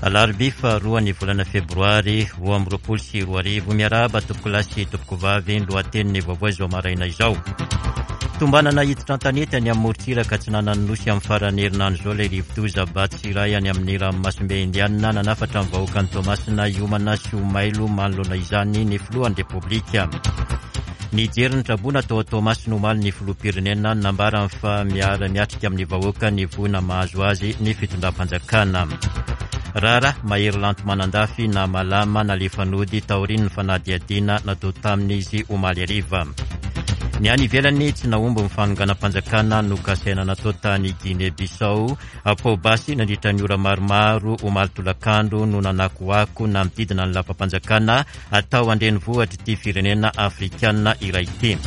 Alarobia faharoa ny volana febroary 2022. Miarahaba tompokolahy sy tompokovavy, ny lohatenin'ny vaovao izao maraina izao. Tombanana hiditra an-tanety any amin'ny morontsiraka atsinanan'ny Nosy amin'ny faran'ny herinandro izao ilay rivodoza Batsirai any amin'ny ranomasimbe Indianina. Nanafatra ny vahoakan'i Toamasina hiomana sy ho mailo manoloana izany ny filohan'ny Repoblika. Nijery ny traboina tao Toamasina omaly ny filoham-pirenena, nambarany fa miara-miatrika amin'ny vahoaka ny voina mahazo azy ny fitondram-panjakana. Raharaha Mahery Lanto Manandafy na Malama nalefa nody taorian'ny fanadihadiana natao taminy izy omaly hariva. Ny any ivelany, tsy nahomby ny fanonganam-panjakana nokasaina natao tany Guinée Bissau. Poa-basy nandritra ny ora maromaro omaly tolakandro no nanakoako nanodidina ny lapam-panjakana atao an-drenivohitr'ity firenena afrikana iray ity.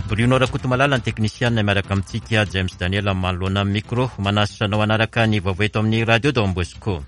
Bruno Rakotomalala ny teknisianina miaraka amintsika, James Daniel manoloana ny micro. Manasa anao hanaraka ny vaovao eto amin'ny Radio Don Bosco.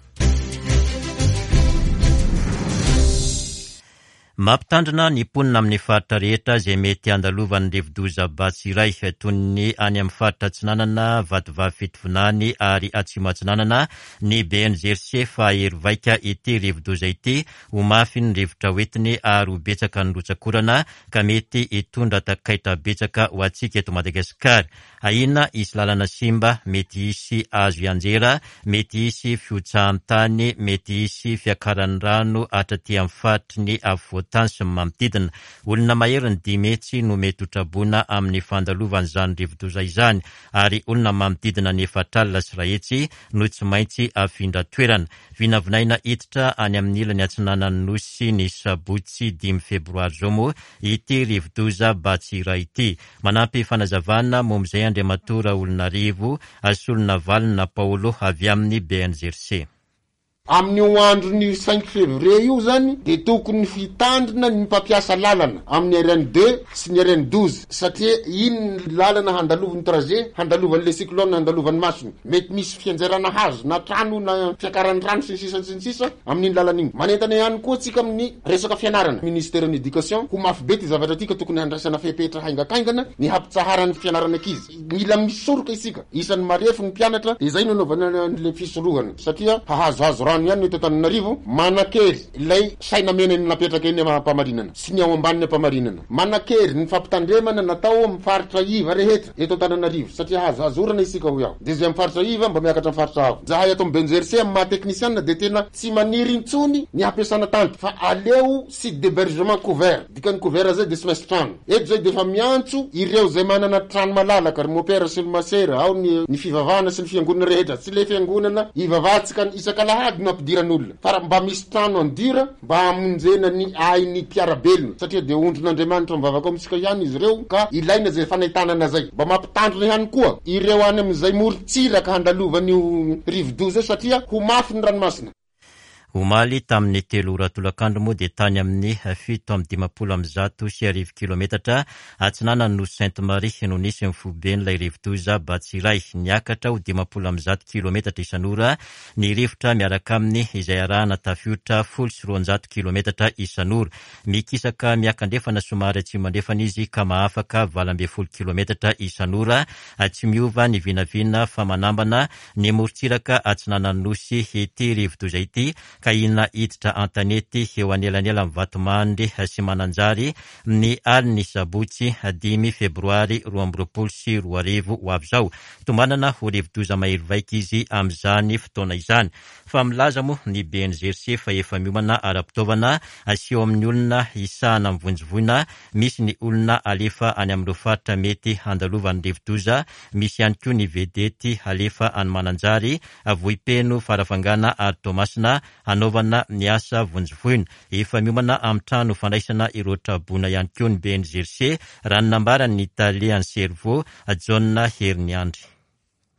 Mampitandrina ny mponina amin'ny faritra rehetra izay mety handalovan'ny rivodoza Batsirai, toy ny any amin'ny faritra Atsinanana, Vatovavy Fitovinany ary Atsimo Atsinanana, ny BNGRC fa hahery vaika ity rivodoza ity, ho mafy ny rivotra hoentiny ary ho betsaka ny rotsak'orana ka mety hitondra takaitra betsaka ho antsika eto Madagasikara. Ahiana hisy lalana simba, mety hisy hazo hianjera, mety hisy fihotsahan'ny tany, mety hisy fiakaran'ny rano hatraty amin'ny faritry ny afovoan-tany sy ny manodidina. Olona maherin'ny 500 no mety ho traboina amin'ny fandalovan'izany rivodoza izany ary olona manodidina ny 1400 no tsy maintsy afindra toerana. Vinavinaina hiditra any amin'ny ilany atsinanan'ny Nosy ny sabotsy dimy febroary izao moa ity rivodoza Batsirai ity. Manampy fanazavana momba izay Andriamatoa Raolonarivo Solonavalona Paolo avy amin'ny BNGRC. Amin'io andron'io cinq février io zany dia tokony hitandrina ny mpampiasa lalana amin'ny RN deux sy ny RN 12 satria iny ny lalana handalovan'ny trajet handalovan'ilay cyclone handalovan'ny masony. Mety misy fianjerana hazo na trano na fiakaran'ny rano sy ny sisa sy ny sisa amin'iny lalana iny. Manentana ihany koa tsika amin'ny resaka fianarana. Ministeran'ny Education, ho mafy be ity zavatra ity ka tokony handraisana fepetra haingankaingana ny hampitsaharana ny fianarana ankizy. Mila misoroka isika. Isan'ny marefo ny mpianatra dia izay no anaovana an'ilay fisorohana satria hahazohazo rano ihany ny eto Antananarivo. Manan-kery ilay saina mena iny napetraka eny Ampamarinana sy ny ao ambanin'ny Ampamarinana. Manan-kery ny fampitandremana natao amin'ny faritra iva rehetra eto Antananarivo satria hahazohazo orana isika hoy aho. Dia izay amin'ny faritra iva mba miakatra amin'ny faritra avo. Izahay ato amin'ny BNGRC amin'ny maha teknisianina dia tena Tsy maniry intsony ny hampiasana tanty fa aleo site d'hebergement couvert, dikan'ny couvert zay dia tsy maintsy trano. Eto zay dia efa miantso ireo zay manana trano malalaka, ry mopera sy ry masera, ao ny ny fivavahana sy ny fiangonana rehetra, tsy le fiangonana ivavahantsika isak'alahady no ampidiran'olona fa raha mba misy trano en dur mba hamonjena ny ain'ny mpiara-belona satria dia ondrin'Andriamanitra mivavaka ao amintsika ihany izy ireo ka ilaina zay fanentanana zay. Mba mampitandrina ihany koa ireo any amin'izay morontsiraka handalovan'io rivodoza io satria ho mafy ny ranomasina. Omaly tamin'ny telo ora tolakandro moa dia tany amin'ny 1157 kilometatra atsinanan'ny Nosy Sainte Marie no nisy ny foiben'ilay rivodoza Batsirai. Niakatra ho 150 kilometatra isan'ora ny rivotra miaraka aminy izay arahana tafiotra 210 kilometatra isan'ora. Mikisaka miakandrefana somary atsimo andrefana izy ka mahafaka 18 kilometatra isan'ora. Tsy miova ny vinavina fa manambana ny morontsiraka atsinanan'ny Nosy ity rivodoza ity ka hina hiditra an-tanety eo anelanelan'i Vatomandry sy Mananjary ny alin'ny sabotsy dimy febroary 2022 ho avy izao. Tombanana ho rivodoza mahery vaika izy amin'izany fotoana izany. Fa milaza moa ny BNGRC fa efa miomana ara-pitaovana sy eo amin'ny olona hisahana ny vonjy voina, misy ny olona alefa any amin'ireo faritra mety handalovan'ny rivodoza, misy ihany koa ny vedety halefa any Mananjary, Vohipeno, Farafangana ary Toamasina hanaovana ny asa vonjy voina. Efa miomana amin'ny trano fandraisana ireo traboina ihany koa ny BNGRC, raha ny nambaran'ny tale an'ny Cerveau, Jaona Heriniandry.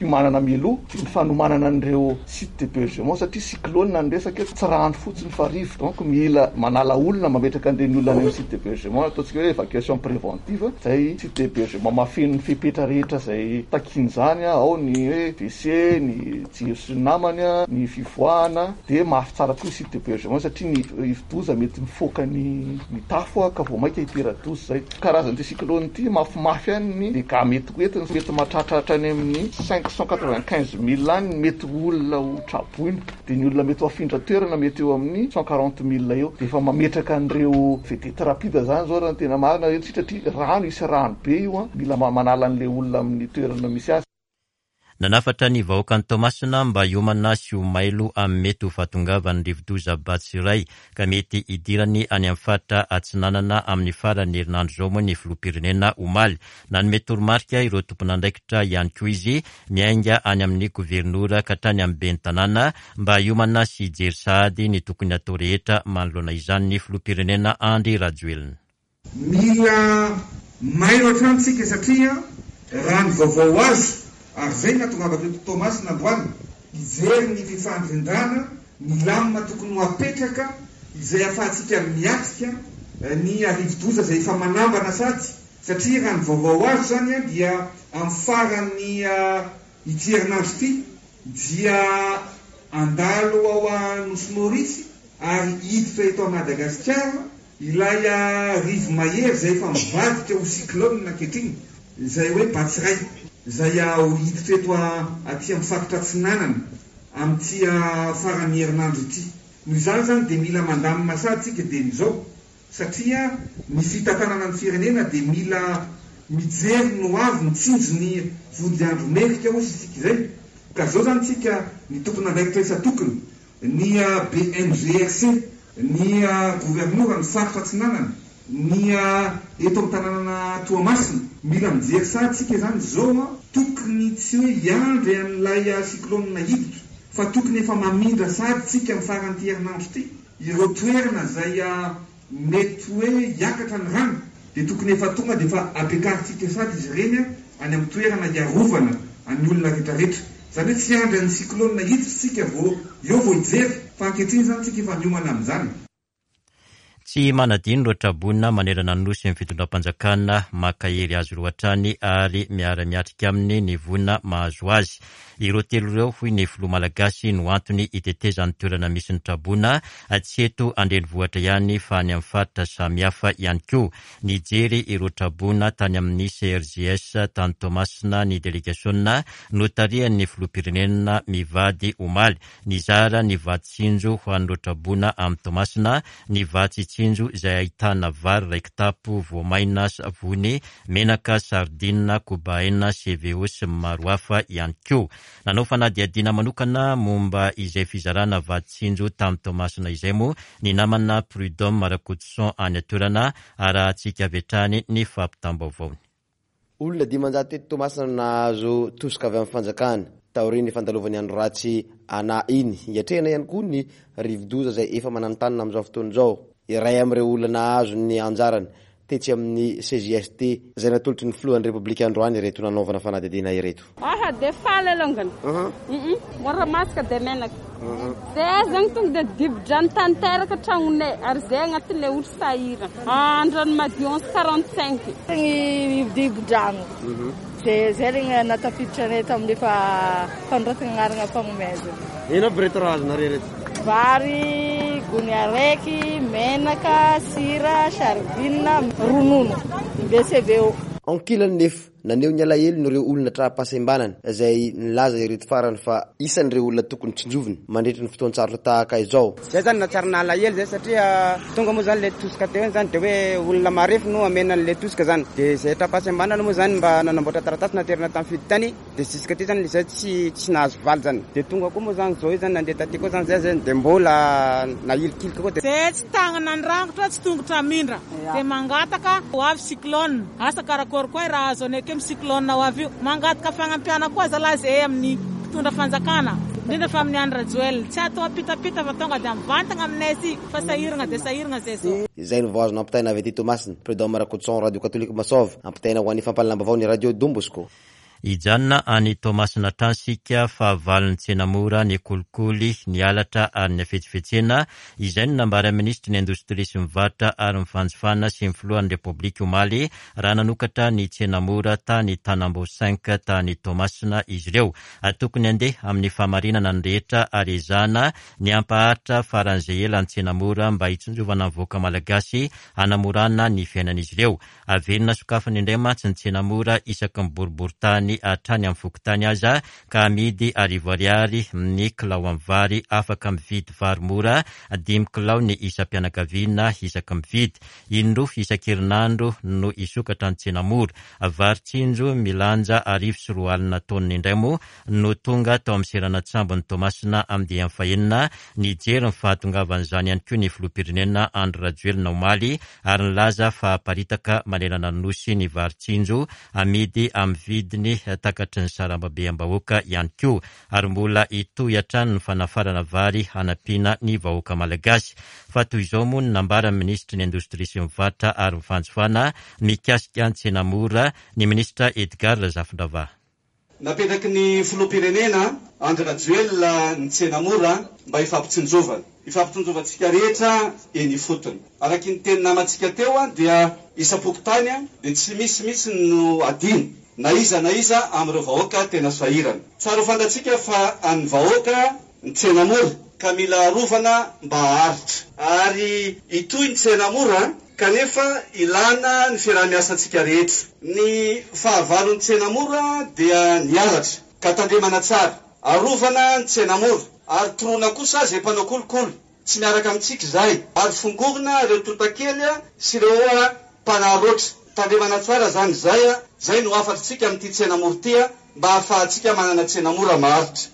Fiomanana mialoha ny fanomanana an'ireo site d'hebergement satria cyclone ny resaka eto, tsy rano fotsiny fa rivotra, donc mila manala olona mametraka an'ireny olona any amin'ny site d'hebergement ataontsika hoe évacuation préventive, izay site d'hebergement mahafeno ny fepetra rehetra izay takian'izany, ao ny hoe WC, ny jiro sy ny namany, ny fivoahana, dia mafy tsara koa ny site d'hebergement satria ny rivodoza mety mifoaka ny ny tafo ka vao mainka hitera-doza izay. Karazan'ity cyclone ity mafimafy ihany ny dégâts mety ho entiny, mety mahatratra hatrany amin'ny cinq. 595 000 any ny mety ho olona ho traboina, dia ny olona mety ho afindra toerana mety eo amin'ny 140 000 eo. Dia efa mametraka an'ireo vedette rapide izany izao raha ny tena marina satria rano, hisy rano be io an, mila manala an'ilay olona amin'ny toerana misy azy. Nanafatra ny vahoakan'i Toamasina mba hiomana sy ho mailo amin'ny mety ho fahatongavan'ny rivodoza Batsirai ka mety hidirany any amin'ny faritra Atsinanana amin'ny faran'ny herinandro izao moa ny filoham-pirenena omaly. Nanome toromarika ireo tompon'andraikitra ihany koa izy miainga any amin'ny governora ka hatrany amin'ny ben'ny tanàna mba hiomana sy hijery sahady ny tokony hatao rehetra manoloana izany ny filoham-pirenena Andry Rajoelina. Mila mailo hatrany tsika satria raha ny vaovao azo, ary izay no nahatongavako eto Toamasina androany, hijery ny fifandrindrana, ny lamina tokony ho apetraka izay ahafahantsika miatrika ny rivodoza izay efa manambana sady, satria raha ny vaovao azo izany dia amin'ny faran'ny ity herinandro ity dia handalo ao Nosy Maurice ary hiditra eto Madagasikara Ilay rivo-mahery izay efa mivadika ho cyclone ankehitriny, izay hoe Batsirai, izay ho hiditra eto aty amin'ny faritra atsinanana amin'ity faran'ny herinandro ity. Noho izany izany dia mila mandamina sady isika dieny izao, satria ny fitantanana ny firenena dia mila mijery ny ho avy, mitsinjo ny vodiandro merika hozy isika izay. Ka izao izany isika ny tompon'andraikitra isan-tokony, ny BNGRC, ny governora ny faritra atsinanana, ny eto amin'ny tanànana Toamasina. Mila mijery sahady isika izany izao an, tokony tsy hoe hiandry an'ilay cyclone hiditra fa tokony efa mamindra sahady isika amin'ny faran'ity herinandro ity ireo toerana izay Mety hoe hiakatra ny rano dia tokony efa tonga dia efa ampiakarintsika sady izy ireny any amin'ny toerana hiarovana an'ny olona retraretra. Izany hoe tsy hiandry an'ny cyclone hiditra isika vao eo vao hijery fa ankehitriny izany tsika efa miomana amin'izany. Tsy manadino ireo traboina manerana ny Nosy ny fitondram-panjakana, mankahery azy ireo hatrany ary miara-miatrika aminy ny voina mahazo azy. Ireo telo ireo, hoy ny filoha malagasy, no antony hitetezan'ny toerana misy ny traboina, tsy eto an-drenivohitra ihany fa any amin'ny faritra samihafa ihany koa. Nijery ireo traboina tany amin'ny CRJS tany Toamasina ny delegasiona notarihan'ny filoham-pirenena mivady omaly. Nizara ny vatsy tsinjo ho an'ireo traboina amin'i Toamasina ny vatsy tsinjo izay ahitana vary iray kitapo, voamaina, savony, menaka, sardine, kobaina, CVO sy ny maro hafa ihany koa. Nanao fanadihadiana manokana momba izay fizarana vatsy tsinjo tany Toamasina izay moa ny namana Prud'homme Rakotoson any an-toerana, arahantsika avy hatrany ny fampitam-baovaony. Olona 500 teto Toamasina no nahazo tosika avy amin'ny fanjakana, taorian'ny fandalovan'ny andro ratsy Ana iny. Hiatrehana ihany koa ny rivodoza izay efa mananontanona amin'izao fotoana izao. Iray amin'ireo olona nahazo ny anjarany tetsy amin'ny CJST izay natolotry ny filohan'ny Repoblika androany ireto nanaovana fanadihadiana ireto. Aha de faly alongany humm mora masaka de menaka zay zegny tonga de dibo-drano tanteraka tragnonay ary zay agnatin'le olo sahirana Andranomadio 11 45. Ny dibo-drano de zay regny nahatafiditra anay tamin'ny efa fanoratana agnarana fagnomezana. Ino aby reto raha azonareo reto? Vary gony araiky, menaka, sira, sardine, ronono, BCBO. Ankilany nefa, naneho ny alahelony ireo olona tra-pahasembanana izay nilaza ireto farany fa isan'ireo olona tokony tsinjovina mandritra ny fotoan-tsarotra tahaka izao. Zay zany nahatsiaro nalahelo zay satria tonga moa zany le tosika teo iny zany de hoe olona marefo no amena an'le tosika zany de zay tra-pahasembanana moa zany mba nanamboatra taratasy naterina tamin'ny fiditany de jusque ty zany zay tsy tsy nahazo valy zany de tonga koa moa zany zao io zany nandeha taty koa zany zay zany de mbola nahilikilika koa de Zay tsy tagnana ny rangotra tsy tongotra hamindra de mangataka ho avy cyclone asa karakory koa raha azo anay akeo cyclone ho avy io mangataka fagnampiana koa zalahy zay amin'ny mpitondra fanjakana indrindra fa amin'ny Andry Rajoelina tsy atao ampitapita fa tonga de mivantagna aminay aty fa sahiragna de sahiragna zay zao. Izay no vao azo nampitaina avy aty Toamasina. Prud'homme Rakotoson, Radio Katolika Masova. Ampitaina ho an'ny fampahalalam-baovao ny Radio Don Bosco. Hijanona any Toamasina hatrany isika fa valin'ny tsena mora ny kolikoly, ny halatra ary ny hafetsifetsena, izay no nambaran'ny minisitry ny Indostria sy ny varotra ary ny fanjifana sy ny filohan'ny Repoblika omaly raha nanokatra ny tsena mora tany Tanambao Cinq tany Toamasina izy ireo. Tokony handeha amin'ny fahamarinana ny rehetra ary ezahana ny hampaharitra faran'izay ela ny tsena mora mba hitsinjovana ny vahoaka malagasy hanamorana ny fiainan'izy ireo. Averina sokafana indray mantsy ny tsena mora isaky ny boriborintany. vidiny hatrany amin'ny fokontany aza ka amidy arivo ariary ny kilao amin'ny vary afaka mividy vary mora dimy kilao ny isam-pianakaviana isaky mividy. Indroa isan-kerinandro no hisokatra ny tsena mora. Vary tsinjo milanja 2100 taonina indray moa no tonga tao amin'ny seranan-tsambon'i Toamasina andiany fahenina. Nijery ny fahatongavan'izany ihany koa ny filoham-pirenena Andry Rajoelina omaly ary nilaza fa haparitaka manerana ny Nosy ny vary tsinjo amidy amin'ny vidiny takatry ny sarambabem-bahoaka ihany koa ary mbola hitohy hatrany ny fanafarana vary hanampiana ny vahoaka malagasy. Fa toy izao moa ny nambaran'ny minisitry ny Indostria sy ny Varotra ary ny Fanjifana mikasika ny tsena mora, ny minisitra Edgard Razafindravaha. Napetraky ny Filoham-pirenena, Andry Rajoelina ny tsena mora mba hifampitsinjovana. Hifampitsinjovantsika rehetra eny ifotony. Araky ny teny namantsika teo dia isam-pokontany dia tsy misy mihitsy no adino na iza na iza amin'ireo vahoaka tena sahirana. Tsara ho fantatsika fa an'ny vahoaka ny tsena mora ka mila arovana mba haharitra. Ary hitohy ny tsena mora kanefa ilana ny fiaraha-miasantsika rehetra. Ny fahavalon'ny tsena mora dia ny halatra ka tandremana tsara. Arovana ny tsena mora ary toroana kosa izay mpanao kolikoly. Tsy miaraka amintsika izahay ary fongorina ireo tontakely sy ireo mpanaraotra. Tandremana tsara izany izay. Izay no hafatritsika amin'ity tsena mora ity mba hahafahantsika manana tsena mora maharitra.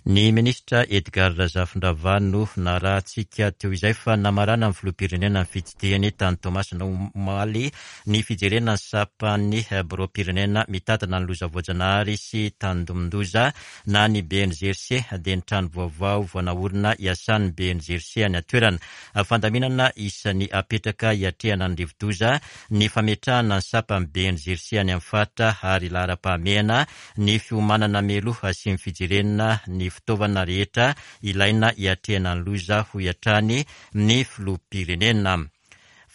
Ny minisitra Edgard Razafindravahy no narahantsika teo izay fa namarana ny filoham-pirenena ny fitsidihany tany Toamasina omaly ny fijerena ny sampan'ny biraom-pirenena mitantana ny loza voajanahary sy tandindomin-doza na ny BNGRC dia ny trano vaovao vao naorina iasan'ny BNGRC any an-toerana. Fandaminana isan'ny apetraka hiatrehana ny rivodoza ny fametrahana ny sampan'ny BNGRC any amin'ny faritra ary laharam-pahamehana ny fiomanana mialoha sy ny fijerena ny fitaovana rehetra ilaina hiatrehana ny loza, hoy hatrany ny filoham-pirenena.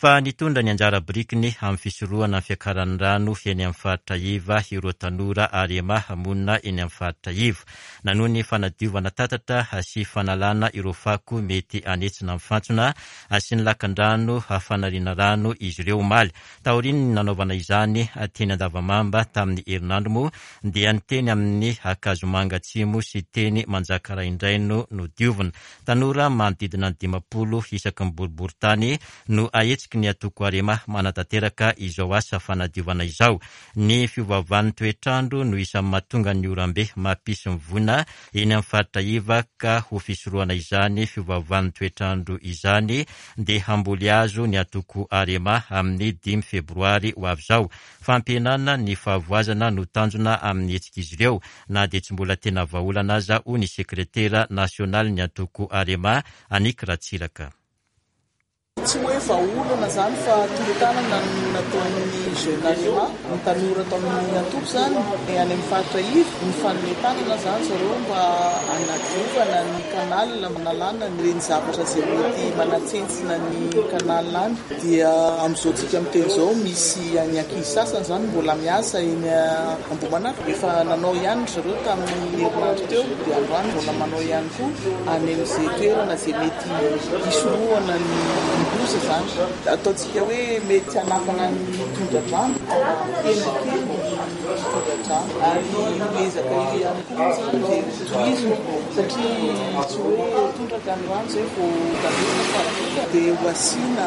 Fa nitondra ny anjara birikiny amin'ny fisorohana ny fiakaran'ny rano eny amin'ny faritra iva ireo tanora Arema monina eny amin'ny faritra iva. Nanohy ny fanadiovana tatatra sy fanalana ireo fako mety hanetsina ny fantsona sy ny lakandrano fanariana rano izy ireo omaly. Taorian'ny nanaovana izany teny Andavamamba tamin'ny herinandro moa dia ny teny amin'ny Ankazomanga Atsimo sy teny Manjakaray indray no nodiovina. Tanora manodidina ny 50 isaky ny boriborintany no ahetsiky ny antoko Arema manatanteraka izao asa fanadiovana izao. Ny fiovaovan'ny toetr'andro no isan'ny mahatonga ny oram-be mampisy ny voina eny amin'ny faritra iva ka ho fisorohana izany fiovaovan'ny toetr'andro izany dia hamboly hazo ny antoko Arema amin'ny dimy febroary ho avy izao. Fampihenana ny fahavoazana no tanjona amin'ny hetsik'izy ireo na dia tsy mbola tena vahaolana aza hoy ny sekretera nasionalin'ny antoko Arema, Annick Ratsiraka. Tsy hoe vahaolana izany fa tolo-tanana no nataon'ny Jeune Arema, ny tanora tao amin'ny antoko izany, any amin'ny faritra iva. Nifanome tanana izany zareo mba hanadiovana ny canal, hanalana ireny zavatra izay mety manatsentsina ny canal any. Dia amin'izao tsika miteny izao misy ny ankizy sasany izany mbola miasa eny Ambohimanarina. Efa nanao ihany ry zareo tamin'ny herinandro teo dia androany mbola manao ihany koa any amin'izay toerana izay mety hisorohana ny loza izany. Ataontsika hoe mety hanafana ny tondra-drano, hampihena kely ny tondra-drano. Ary io ezaka io ihany koa moa izany dia hotohizina satria tsy hoe tondraka ny rano izay vao tandremana fa dia ho asiana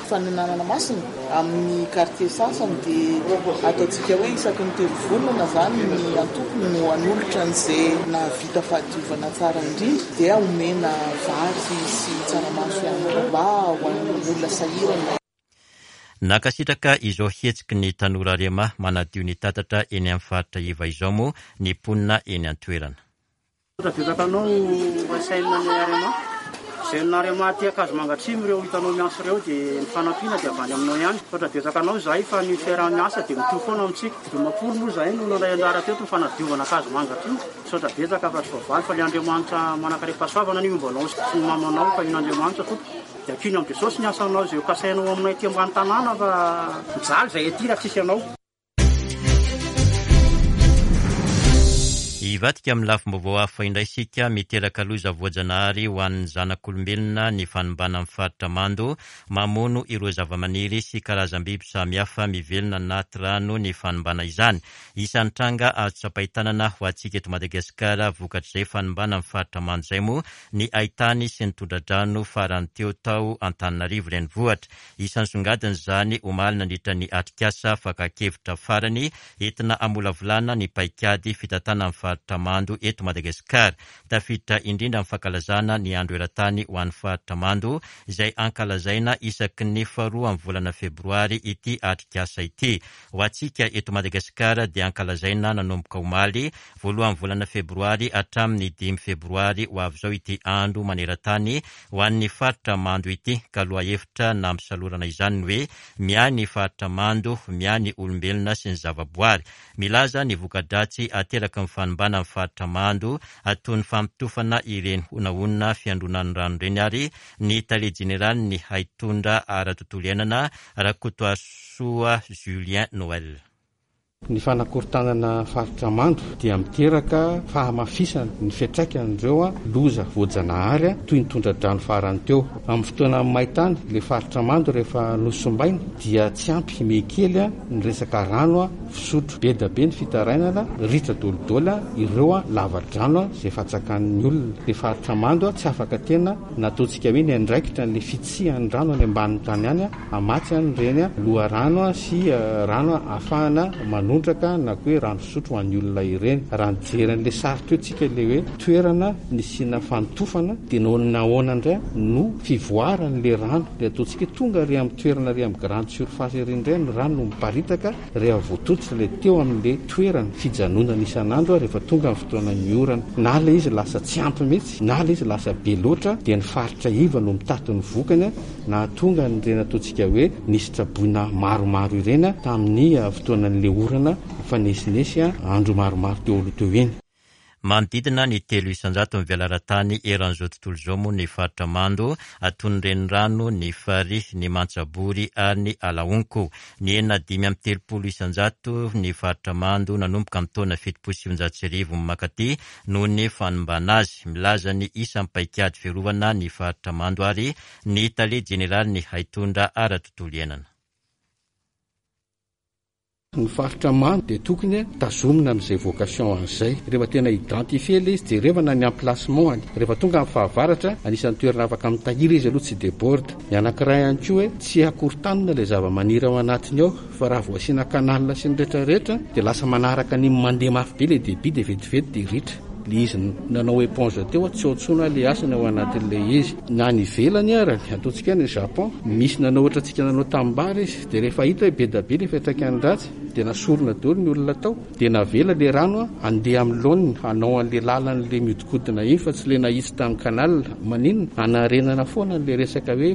fanenanana masina Amin'ny quartier sasany dia ataontsika hoe isaky ny telo volana izany ny antoko no hanolotra an'izay nahavita fahadiovana tsara indrindra dia omena vary sy tsaramaso ihany koa mba ho an'ny olona sahirana. Nankasitraka izao hetsiky ny tanora Arema manadio ny tatatra eny amin'ny faritra iva izao moa ny mponina eny an-toerana. Misaotra betsaka anao SN ny Arema. Jeune Arema aty Ankazomanga Atsimo ireo hitanao miantso ireo dia ny fanampiana dia avy any aminao ihany. Misaotra betsaka anao izahay fa ny fiaraha-miasa dia mitohy foana amintsika. 50 moa izahay no nandray anjara teto ny fanadiovana Ankazomanga Atsimo. Misaotra betsaka fa tsy voavaly fa ilay Andriamanitra manankarem-pahasoavana anie homba anao sy ny mamanao fa ino Andriamanitra tompoko. Dia ankino amin'i Jesosy ny asanao izay ho kasainao aminay aty ambany tanàna fa mijaly izahay aty raha tsisy anao. Hivadika amin'ny lafim-baovao hafa indray isika, miteraka loza voajanahary ho an'ny zanak'olombelona ny fanimbana ny faritra mando, mamono ireo zavamaniry sy karazam-biby samihafa mivelona anaty rano ny fanimbana izany. Isan'ny tranga azo tsapain-tanana ho antsika eto Madagasikara vokatr'izay fanimbana ny faritra mando izay moa ny haitany sy ny tondra-drano farany teo tao Antananarivo renivohitra. Isan'ny songadiny izany omaly nandritra ny atrikasa fakan-kevitra farany entina hamolavolana ny paikady fitantanana ny faritra mando eto Madagasikara. Tafiditra indrindra amin'ny fankalazana ny Andro eran-tany ho an'ny faritra mando izay ankalazaina isaky ny faharoa amin'ny volana febroary ity atrikasa ity. Ho antsika eto Madagasikara dia ankalazaina nanomboka omaly voalohan'ny volana febroary hatramin'ny dimy febroary ho avy izao ity andro maneran-tany ho an'ny faritra mando ity ka lohahevitra nampisalorana izany ny hoe Miahy ny faritra mando, miahy ny olombelona sy ny zavaboary. Milaza ny voka-dratsy ateraky ny fanimbana ny faritra mando toy ny fampitofana ireny honahona fiandronan'ny rano ireny ary ny tale jeneralin'ny haitondra ara-tontolo iainana, Rakotoarisoa Julien Noël. Ny fanakorontanana faritra mando dia miteraka fahamafisana ny fiantraikan'ireo loza voajanahary toy ny tondra-drano farany teo. Amin'ny fotoana main-tany, ilay faritra mando rehefa nosimbaina dia tsy ampy mihekely ny resaka rano fisotro. Be dia be ny fitarainana, ritra dolidoly ireo lava-drano izay fatsakan'ny olona. Ilay faritra mando tsy afaka tena nataontsika hoe niandraikitra an'ilay fitsihan'ny rano any ambanin'ny tany any. Hamatsy an'ireny loharano sy rano ahafahana manondraka na koa hoe rano fisotro ho an'ny olona ireny. Raha nijery an'ilay sary teo tsika ilay hoe toerana nisiana fanotofana dia nahoana indray no fivoaran'ilay rano ilay ataontsika hoe tonga ary amin'ny toerana ary amin'ny grande surface ery indray ny rano no miparitaka rehefa voatototra ilay teo amin'ilay toerana fijanonana isan'andro rehefa tonga ny fotoanan'ny orana. Na ilay izy lasa tsy ampy mihitsy na ilay izy lasa be loatra dia ny faritra iva no mitaty ny vokany. Nahatonga an'ireny ataontsika hoe nisy traboina maromaro ireny tamin'ny fotoanan'ilay orana nifanesinесy andro maromaro teo aloha teo iny. Manodidina ny 3% ny velaran-tany eran'izao tontolo izao moa ny faritra mando, toy ny renirano, ny farihy, ny mantsabory ary ny alahonko. Nihena 35% ny faritra mando nanomboka ny taona 1970 mankaty noho ny fanimbana azy. Milaza ny isan'ny paikady fiarovana ny faritra mando ary ny tale jeneralin'ny haitondra ara-tontolo iainana. Ny faritra mando dia tokony tazomina amin'izay vocation an'izay. Rehefa tena identifier ilay izy, jerevana ny emplacement-ny. Rehefa tonga amin'ny fahavaratra, anisan'ny toerana afaka mitahiry izy aloha tsy deborde. Ny anankiray ihany koa hoe tsy akorontanina ilay zavamaniry ao anatiny ao fa raha vao asiana canal sy ny rehetra rehetra dia lasa manaraka an'iny mandeha mafy be ilay debit dia vetivety dia ritra. Ilay izy nanao éponge teo tsy ao intsony ilay hasina ao anatin'ilay izy. Na any ivelany ara, ataontsika any Japon, misy nanao ohatrantsika nanao tanimbary izy dia rehefa hita hoe be dia be ilay fiantraikany ratsy dia nasorina daholo ny olona tao dia navela ilay rano handeha amin'ny laoniny hanao an'ilay lalan'ilay mihodinkodina iny fa tsy ilay nahitsy tamin'ny canal. Maninona? Hanarenana foana an'ilay resaka hoe.